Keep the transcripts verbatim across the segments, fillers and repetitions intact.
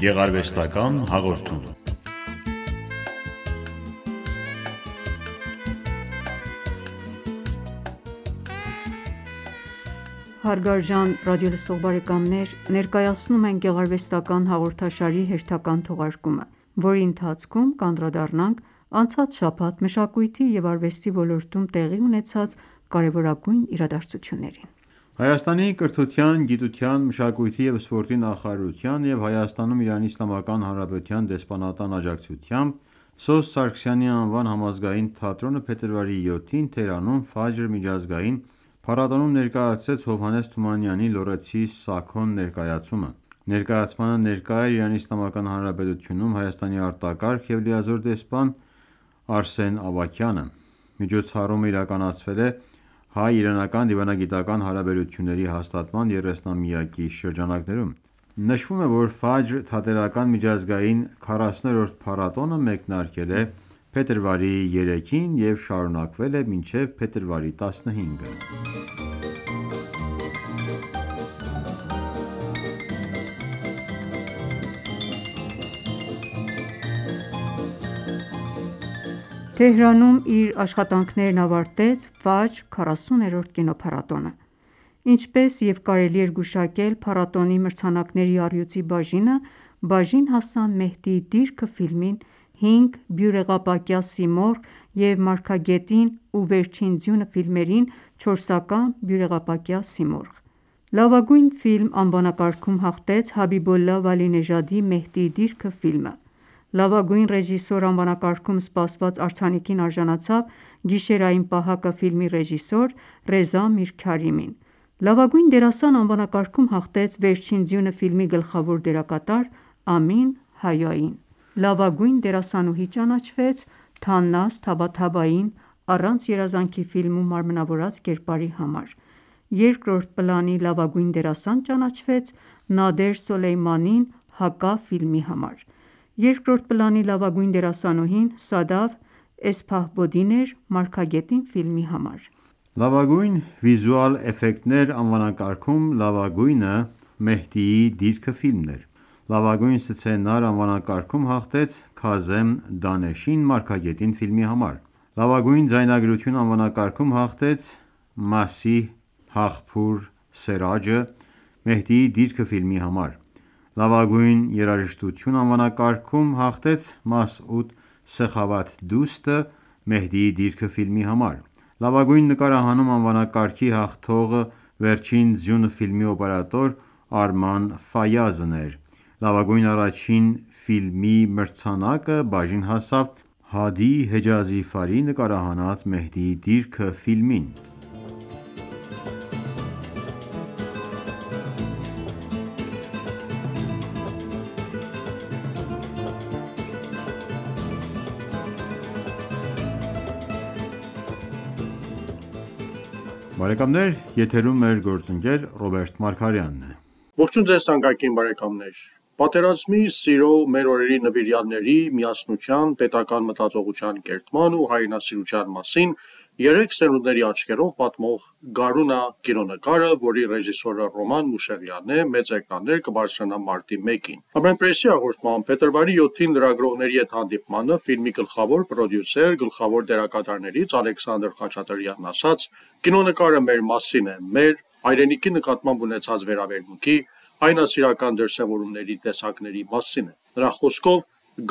Գեղարվեստական հաղորդում։ Հարգարժան ռադիոլսող բարեկամներ, ներկայացնում ենք գեղարվեստական հաղորդաշարի հերթական թողարկումը, որի ընթացքում կանդրադառնանք անցած շաբաթ մշակույթի և արվեստի ոլորտում տեղի ունեցած կարևորագույն իրադարձություններին։ Հայաստանի կրթության, գիտության, մշակույթի և սպորտի նախարարության և Հայաստանում Իրանի Իսլամական Հանրապետության դեսպանատան աջակցությամբ Սոս Սարգսյանի անվան համազգային թատրոնը փետրվարի յոթին Թեհրանում «Ֆաջր» միջազգային փառատոնում ներկայացրեց Հովհաննես Թումանյանի «Լոռեցի Սաքոն» ներկայացումը։ Ներկայացմանը ներկա էր Իրանի Իսլամական Հանրապետությունում Հայաստանի արտակարգ և լիազոր դեսպան Արսեն Ավագյանը։ Միջոցառումը իրականացվել է հայ-իրանական դիվանագիտական հարաբերությունների հաստատման երեսնամյակի շրջանակներում։ Նշվում է, որ «Ֆաջր» թատերական միջազգային քառասուներորդ փառատոնը մեկնարկել է փետրվարի երեքին և շարունակվել է մինչև փետրվարի տասնհինգը։ Թեհրանում իր աշխատանքներն ավարտեց «Ֆաջր» քառասուներորդ կինոփառատոնը։ Ինչպես և կարելի էր գուշակել, փառատոնի մրցանակների առյուծի բաժինը բաժին հասան «Մեհդիի դիրքը» ֆիլմին, հինգ «Բյուրեղապակյա Սիմորղ» և «Մարգագետին ու վերջին ձյունը» ֆիլմերին չորսական «Բյուրեղապակյա Սիմորղ»։ Լավագույն ֆիլմ անվանակարգում հաղթեց Հաբիբոլլա Վալինեժադի «Մեհդիի դիրքը» ֆիլմը։ Լավագույն ռեժիսոր անվանակարգում սպասված արձանիկին արժանացավ «Գիշերային պահակը» ֆիլմի ռեժիսոր Ռեզա Միրքարիմին։ Լավագույն դերասան անվանակարգում հաղթեց «Վերջին ձյունը» ֆիլմի գլխավոր դերակատար Ամին Հայային։ Լավագույն դերասանուհի ճանաչվեց Թաննազ Թաբաթաբային «Առանց երազանքի» ֆիլմում մարմնավորած կերպարի համար։ Երկրորդ պլանի լավագույն դերասան ճանաչվեց Նադեր Սոլեյմանին «Հակա» ֆիլմի համար։ Երկրորդ պլանի լավագույն դերասանուհին Սադաֆ Էսփահբոդին էր «Մարգագետին» ֆիլմի համար։ Լավագույն վիզուալ էֆեկտներ անվանակարգում լավագույնը «Մեհդիի դիրքը» ֆիլմն էր։ Լավագույն սցենար անվանակարգում հաղթեց Քազեմ Դանեշին «Մարգագետին» ֆիլմի համար։ Լավագույն ձայնագրություն անվանակարգում հաղթեց Մասիհ Հաղփուր Սերաջը «Մեհդիի դիրքը» ֆիլմի համար։ Լավագույն երաժշտություն անվանակարգում հաղթեց Մասուդ Սեխավաթդուստը «Մեհդիի դիրքը» ֆիլմի համար։ Լավագույն նկարահանում անվանակարգի հաղթողը «Վերջին ձյունը» ֆիլմի օպերատոր Արման Ֆայազն էր։ Լավագույն առաջին ֆիլմի մրցանակը բաժին հասավ Հադի Հեջազիֆարի նկարահանած «Մեհդիի դիրքը» ֆիլմին։ Բարեկամներ, եթերում մեր գործընկեր Ռոբերտ Մարգարյանն է։ Ողջույն ձեզ թանկագին բարեկամներ։ Պատերազմի, սիրո, մեր օրերի նվիրյալների, միասնության, պետական մտածողության կերտման ու հայրենասիրության մասին երեք սերունդների աչքերով պատմող «Գարունա» կինոնկարը, որի ռեժիսորը Ռոման Մուշեղյանն է, մեծ էկրաններ կբարձրանա մարտի մեկին։ Ամենպրեսի հաղորդման փետրվարի յոթին լրագրողների հետ հանդիպմանը ֆիլմի գլխավոր պրոդյուսեր, գլխավոր դերակատարներից Ալեքսանդր Խաչատրյանն ասաց. «Կինոնկարը մեր մասին է, մեր հայրենիքի նկատմամբ ունեցած վերաբերմունքի, հայրենասիրական դրսևորումների տեսակների մասին է։ Նրա խոսքով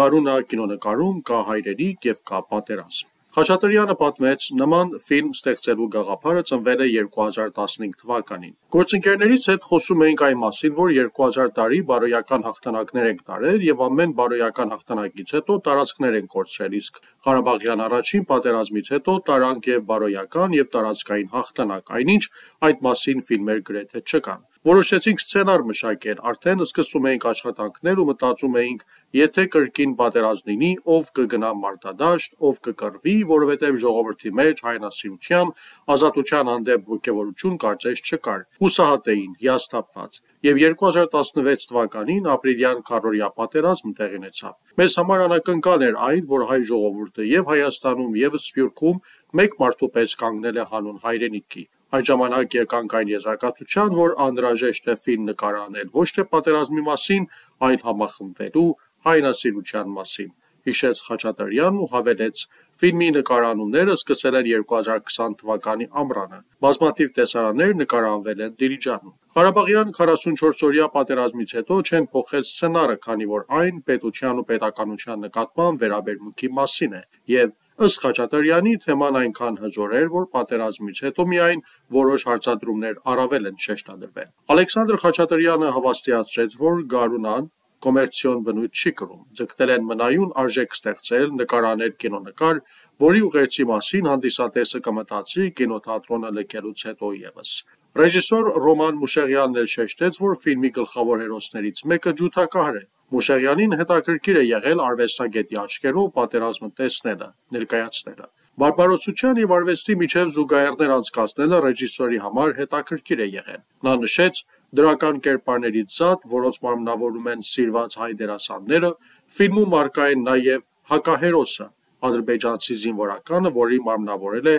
Գարունա կինոնկարում կա հայրենիք և կա պատերազմ»։ Խաչատրյանը պատմեց. նման ֆիլմ ստեղծելու գաղափարը ծնվել է երկու հազար տասնհինգ թվականին։ Գործընկերներից հետ խոսում էինք այն մասին, որ երկու հազար տարի բարոյական հաղթանակներ ենք տարել և ամեն բարոյական հաղթանակից հետո տարածքներ ենք կորցրել, իսկ Ղարաբաղյան առաջին պատերազմից հետո տարանք և բարոյական և տարածքային հաղթանակ, այնինչ այդ մասին ֆիլմեր գրեթե չկան։ Որոշեցինք սցենար մշակել, արդեն սկսում էինք աշխատանքներ ու մտածում էինք, եթե կրկին պատերազմ լինի, ով կգնա մարտադաշտ, ով կկռվի, որովհետև ժողովրդի մեջ հայրենասիրության, ազատության հանդեպ ոգևորություն կարծես չկար, հուսահատ էին, հիասթափված։ Եվ երկու հազար տասնվեց թվականին ապրիլյան քառօրյա պատերազմը տեղի ունեցավ։ Մեզ համար անակնկալ էր այն, որ հայ ժողովուրդը և Հայաստանում և Սփյուռքում մեկ մարդու պես կանգնել է հանուն հայրենիքի։ Այդ ժամանակ եկանք այն եզրակացության, որ անհրաժեշտ է ֆիլմ նկարահանել ոչ թե պատերազմի մասին, այլ համախմբվելու հայրենասիրության մասին, հիշեց Խաչատրյանն ու հավելեց. Ֆիլմի նկարանումները սկսել են երկու հազար քսան թվականի ամռանը, բազմաթիվ տեսարաններ նկարահանվել են Դիլիջանում։ Ղարաբաղյան քառասունչորսօրյա պատերազմից հետո չեն փոխել սցենարը, քանի որ այն պետության ու պետականության նկատմամբ վերաբերմունքի մասին է, և ըստ Խաչատրյանի թեման այնքան հզոր էր, որ պատերազմից հետո միայն որոշ հարցադրումներ առավել են շեշտադրվել։ Ալեքսանդր Խաչատրյանը հավաստիացրեց, որ Գարունան կոմերցիոն բնույթ չի կրում, ձգտել են մնայուն արժեք ստեղծել, նկարանել կինոնկար, որի ուղերձի մասին հանդիսատեսը կմտածի կինոթատրոնը լքելուց հետո ևս։ Ռեժիսոր Ռոման Մուշեղյանն էլ շեշտեց, որ ֆիլմի գլխավոր հերոսներից մեկը ջութակահար է։ Մուշեղյանին հետաքրքիր է եղել արվեստագետի աչքերով պատերազմը տեսնելը, ներկայացնելը։ Բարբարոսության և արվեստի միջև զուգահեռներ անցկացնելը ռեժիսորի համար հետաքրքիր է եղել։ Նա նշեց. դրական կերպարներից զատ, որոնց մարմնավորում են սիրված հայ դերասանները, ֆիլմում առկա է նաև հակահերոսը՝ ադրբեջանցի զինվորականը, որին մարմնավորել է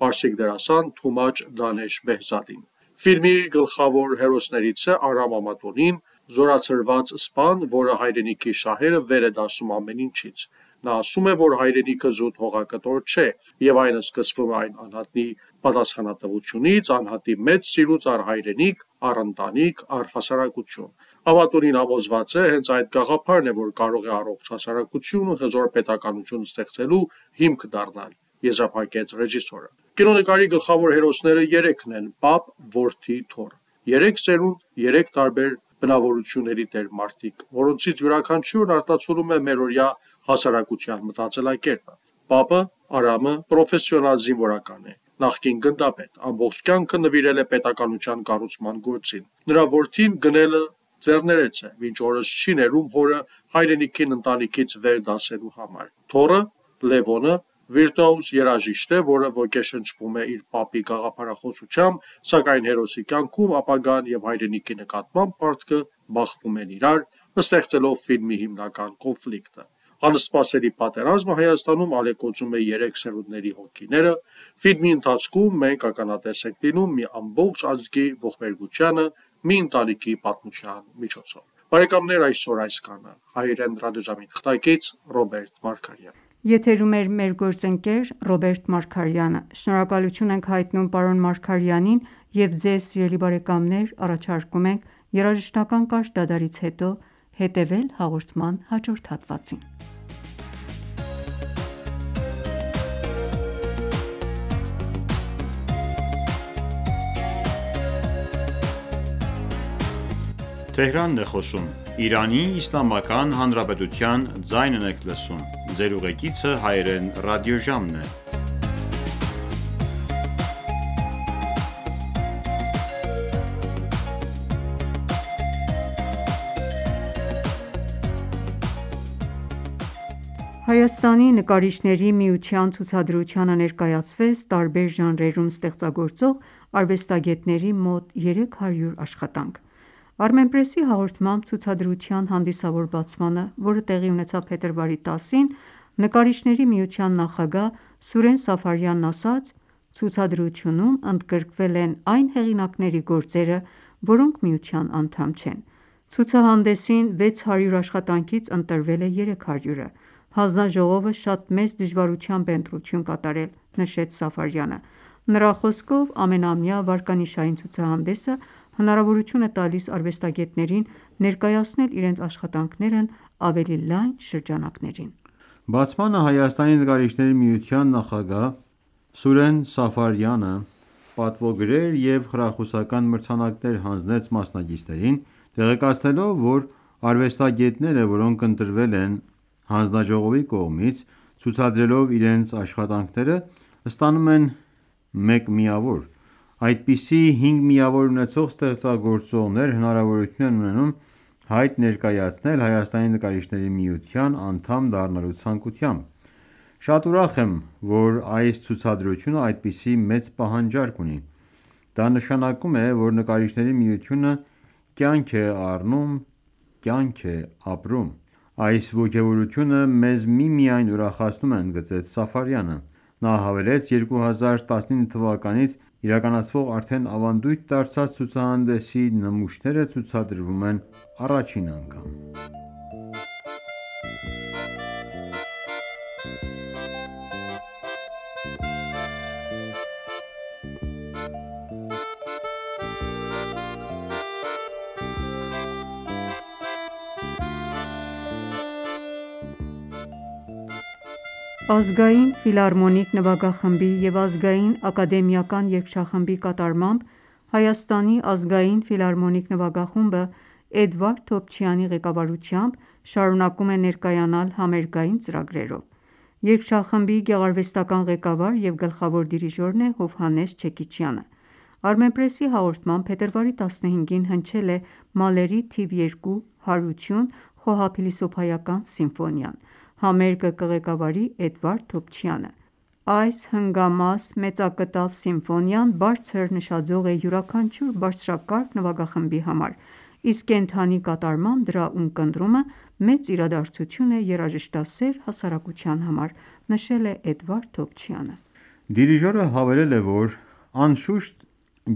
պարսիկ դերասան Թումաչ Դանեշ Բեհզադին։ Ֆիլմի գլխավոր հերոսներից է Արամ Ամատոնին, զորացրված սպան, որը հայրենիքի շահերը վեր է դասում ամեն ինչից։ Նա ասում է, որ հայրենիքը զուտ հողակտոր չէ, և այն սկսվում է այն անհատի պատասխանատվությունից, անհատի մեծ սիրուց առ հայրենիք, առ ընտանիք, առ հասարակություն։ Ամատոնին համոզված է, հենց այդ գաղափարն է, որ կարող է առողջ հասարակություն ու հզոր պետականություն ստեղծելու հիմք դառնալ, եզրափակեց ռեժիսորը։ Կինոնկարի գլխավոր հերոսները երեքն են՝ պապ, որդի, թոռ։ Երեք սերունդ, երեք տարբեր բնավորությունների տեր մարդիկ, որոնցից յուրաքանչյուրն արտացոլում է մերօրյա հասարակության մտածելակերպը։ Պապը՝ Արամը, պրոֆեսիոնալ զինվորական է, նախկին գնդապետ, ամբողջ կյանքը նվիրել է պետականության կառուցման գործին։ Նրա որդին գնելը ձեռներեց է, մինչ օրս չի ներում հորը հայրենիքին ընտանիքից վեր դասելու համար։ Թոռը՝ Լևոնը, վիրտուոզ երաժիշտ է, որը ոգեշնչվում է իր պապի գաղափարախոսությամբ, սակայն հերոսի կյանքում ապագան և հայրենիքի նկատմամբ պարտքը բախվում են իրար, ստեղծելով ֆիլմի հիմնական կոնֆլիկտը։ Անսպասելի պատերազմը Հայաստանում ալեկոծում է երեք սերունդների հոգիները։ Ֆիլմի ընթացքում մենք ականատես ենք լինում մի ամբողջ ազգի ողբերգությանը մի ընտանիքի պատմության միջոցով։ Բարեկամներ, այսօր այսքանը։ Հայրեն ռադիոժամի թղթակից Ռոբերտ Մարգարյան։ Եթերում էր մեր գործընկեր Ռոբերտ Մարգարյանը։ Շնորհակալություն ենք հայտնում պարոն Մարգարյանին և ձեզ սիրելի բարեկամներ առաջարկում ենք երաժշտական կարճ դադարից հետո հետևել հաղորդման հաջորդ հատվածին։ Հայաստանի նկարիչների միության ցուցադրությանը ներկայացվեց տարբեր ժանրերում ստեղծագործող արվեստագետների մոտ երեք հարյուր աշխատանք։ Armenpress-ի հաղորդմամբ ցուցադրության հանդիսավոր բացմանը, որը տեղի ունեցավ փետրվարի տասին, Նկարիչների միության նախագահ Սուրեն Սաֆարյանն ասաց. «Ցուցադրությունում ընդգրկվել են այն հեղինակների գործերը, որոնք միության անդամ չեն։ Ցուցահանդեսին վեց հարյուր աշխատանքից ընտրվել է երեք հարյուրը։ Հանձնաժողովը շատ մեծ դժվարությամբ է ընտրություն կատարել», նշեց Սաֆարյանը։ Նրա խոսքով ամենամյա վարկանիշային ցուցահանդեսը հնարավորություն է տալիս արվեստագետներին ներկայացնել իրենց աշխատանքներն ավելի լայն շրջանակներին։ Բացմանը Հայաստանի նկարիչների միության նախագահ Սուրեն Սաֆարյանը պատվոգրեր և խրախուսական մրցանակներ հանձնեց մասնակիցներին, տեղեկացնելով, որ արվեստագետները, որոնք ընտրվել են հանձնաժողովի կողմից, ցուցադրելով իրենց աշխատանքները, ստանում են մեկ միավոր։ Այդպիսի հինգ միավոր ունեցող ստեղծագործողներ հնարավորություն են ունենում հայտ ներկայացնել Հայաստանի նկարիչների միության անդամ դառնալու ցանկությամբ։ Շատ ուրախ եմ, որ այս ցուցադրությունը այդպիսի մեծ պահանջարկ ունի։ Դա նշանակում է, որ Նկարիչների միությունը կյանք է առնում, կյանք է ապրում։ Այս ոգևորությունը մեզ միմիայն ուրախացնում է, ընդգծեց Սաֆարյանը։ Նա հավելեց երկու հազար տասնինը թվականից իրականացվող արդեն ավանդույթ դարձած ցուցահանդեսի նմուշները ցուցադրվում են առաջին անգամ։ Ազգային ֆիլհարմոնիկ նվագախմբի և Ազգային ակադեմիական երգչախմբի կատարմամբ Հայաստանի ազգային ֆիլհարմոնիկ նվագախումբը Էդվարդ Թոփչյանի ղեկավարությամբ շարունակում է ներկայանալ համերգային ծրագրերով։ Երգչախմբի գեղարվեստական ղեկավար և գլխավոր դիրիժորն է Հովհաննես Չեքիչյանը։ Armenpress-ի հաղորդմամբ փետրվարի տասնհինգին հնչել է Մալերի թիվ երկու «Հարություն» խոհափիլիսոփայական սիմֆոնիան։ Համերգը կղեկավարի Էդվարդ Թոփչյանը։ Այս հնգամաս մեծակտավ սիմֆոնիան բարձր նշաձող է յուրաքանչյուր բարձրակարգ նվագախմբի համար, իսկ կենդանի կատարմամբ դրա ունկնդրումը մեծ իրադարձություն է երաժշտասեր հասարակության համար, նշել է Էդվարդ Թոփչյանը։ Դիրիժորը հավելել է, որ անշուշտ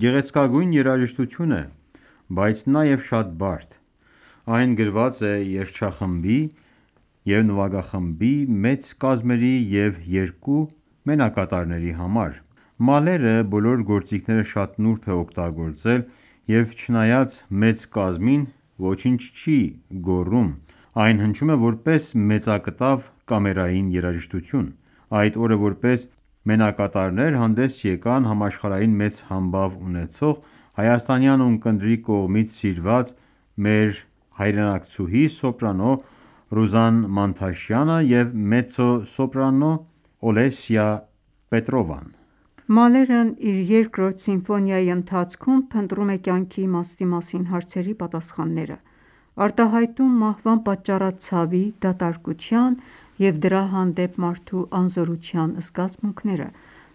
գեղեցկագույն երաժշտություն է, բայց նաև շատ բարդ։ Այն գրված է երգչախմբի և նվագախմբի մեծ կազմերի և երկու մենակատարների համար։ Մալերը բոլոր գործիքները շատ նուրբ է օգտագործել և չնայած մեծ կազմին, ոչինչ չի գոռում։ Այն հնչում է որպես մեծակտավ կամերային երաժշտություն։ Այդ օրը որպես մենակատարներ հանդես եկան համաշխարհային մեծ համբավ ունեցող հայաստանյան ունկնդրի կողմից սիրված մեր հայրենակցուհի սոպրանո Ռուզան Մանթաշյանը և մեծո-սոպրանո Օլեսիա Պետրովան։ Մալերն իր երկրորդ սիմֆոնիայի ընթացքում փնտրում է կյանքի իմաստի մասին հարցերի պատասխանները, արտահայտում մահվան պատճառած ցավի, դատարկության և դրա հանդեպ մարդու անզորության զգացմունքները։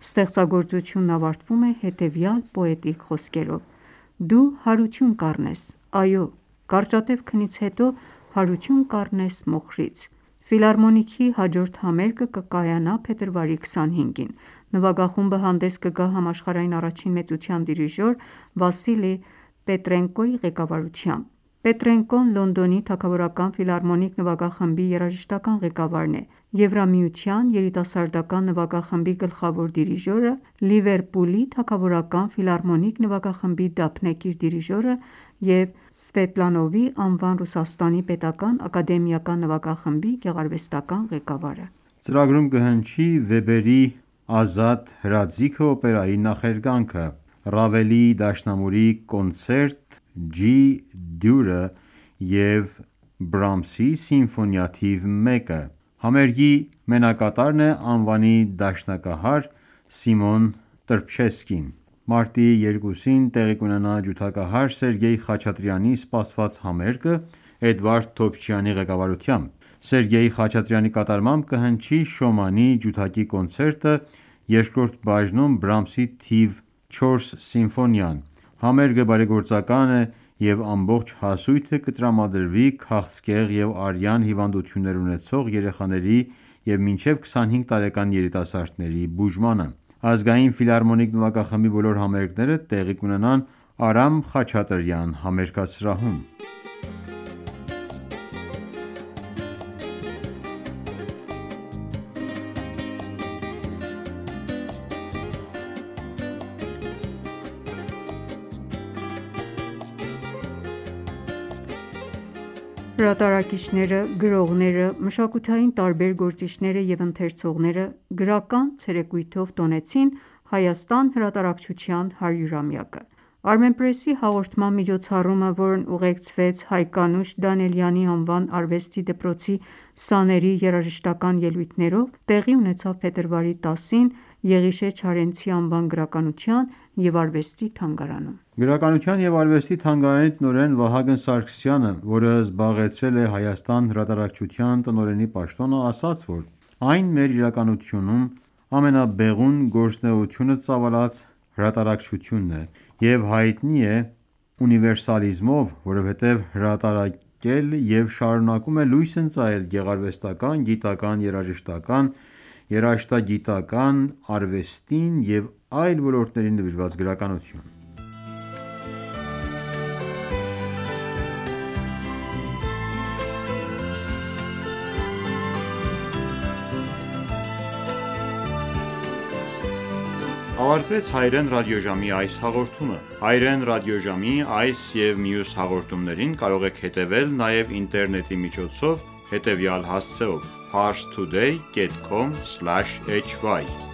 Ստեղծագործությունն ավարտվում է հետևյալ պոետիկ խոսքերով. «Դու հարություն կառնես, այո, կարճատև քնից հետո հարություն կառնես մոխրից»։ Ֆիլհարմոնիքի հաջորդ համերգը կկայանա փետրվարի քսանհինգին։ Նվագախումբը հանդես կգա համաշխարհային առաջին մեծության դիրիժոր Վասիլի Պետրենկոյի ղեկավարությամբ։ Պետրենկոն Լոնդոնի թագավորական ֆիլհարմոնիկ նվագախմբի երաժշտական ղեկավարն է, Եվրամիության երիտասարդական նվագախմբի գլխավոր դիրիժորը, Լիվերպուլի թագավորական ֆիլհարմոնիկ նվագախմբի դափնեկիր դիրիժորը և Սվետլանովի անվան Ռուսաստանի պետական ակադեմիական նվագախմբի գեղարվեստական ղեկավարը։ Ծրագրում կհնչի Վեբերի «Ազատ հրաձիգը» օպերայի նախերգանքը, Ռավելի դաշնամուրի կոնցերտ Ջի դյուրը և Բրամսի սիմֆոնիա թիվ մեկը։ Համերգի մենակատարն է անվանի դաշնակահար Սիմոն Տրփշեսկին։ Մարտի երկուսին տեղի կունենա ջութակահար Սերգեյ Խաչատրյանի սպասված համերգը Էդվարդ Թոփչյանի ղեկավարությամբ։ Սերգեյ Խաչատրյանի կատարմամբ կհնչի Շոմանի ջութակի կոնցերտը երկրորդ բաժնում Բրամսի թիվ չորս սիմֆոնիան։ Համերգը բարեգործական է և ամբողջ հասույթը կտրամադրվի քաղցկեղ և արյան հիվանդություններ ունեցող երեխաների և մինչև քսանհինգ տարեկան երիտասարդների բուժմանը։ Ազգային ֆիլհարմոնիկ նվագախմբի բոլոր համերգները տեղի կունենան Արամ Խաչատրյան համերգասրահում։ Հրատարակիչները, գրողները, մշակութային տարբեր գործիչները և ընթերցողները գրական ցերեկույթով տոնեցին Հայաստան հրատարակչության հարյուրամյակը։ Armenpress-ի հաղորդման միջոցառումը, որն ուղեկցվեց Հայկանուշ Դանիելյանի անվան արվեստի դպրոցի սաների երաժշտական ելույթներով, տեղի ունեցավ փետրվարի տասին Եղիշե Չարենցի անվան գրականության և արվեստի թանգարանում։ Գրականության և արվեստի թանգարանի տնօրեն Վահագն Սարգսյանը, որը զբաղեցրել է Հայաստան հրատարակչության տնօրենի պաշտոնը, ասաց, որ այն մեր իրականությունում ամենաբեղուն գործունեությունը ծավալած հրատարակչությունն է և հայտնի է ունիվերսալիզմով, որովհետև հրատարակել և շարունակում է լույս ընծայել գեղարվեստական, գիտական, երաժշտական երաժշտագիտական, արվեստին և այլ ոլորտներին նվիրված գրականություն։ Ավարտվեց հայերեն ռադիոժամի այս հաղորդումը։ Հայերեն ռադիոժամի այս և մյուս հաղորդումներին կարող եք հետևել նաև ինտերնետի միջոցով հետևյալ հասցեով՝ parstoday dot com slash h y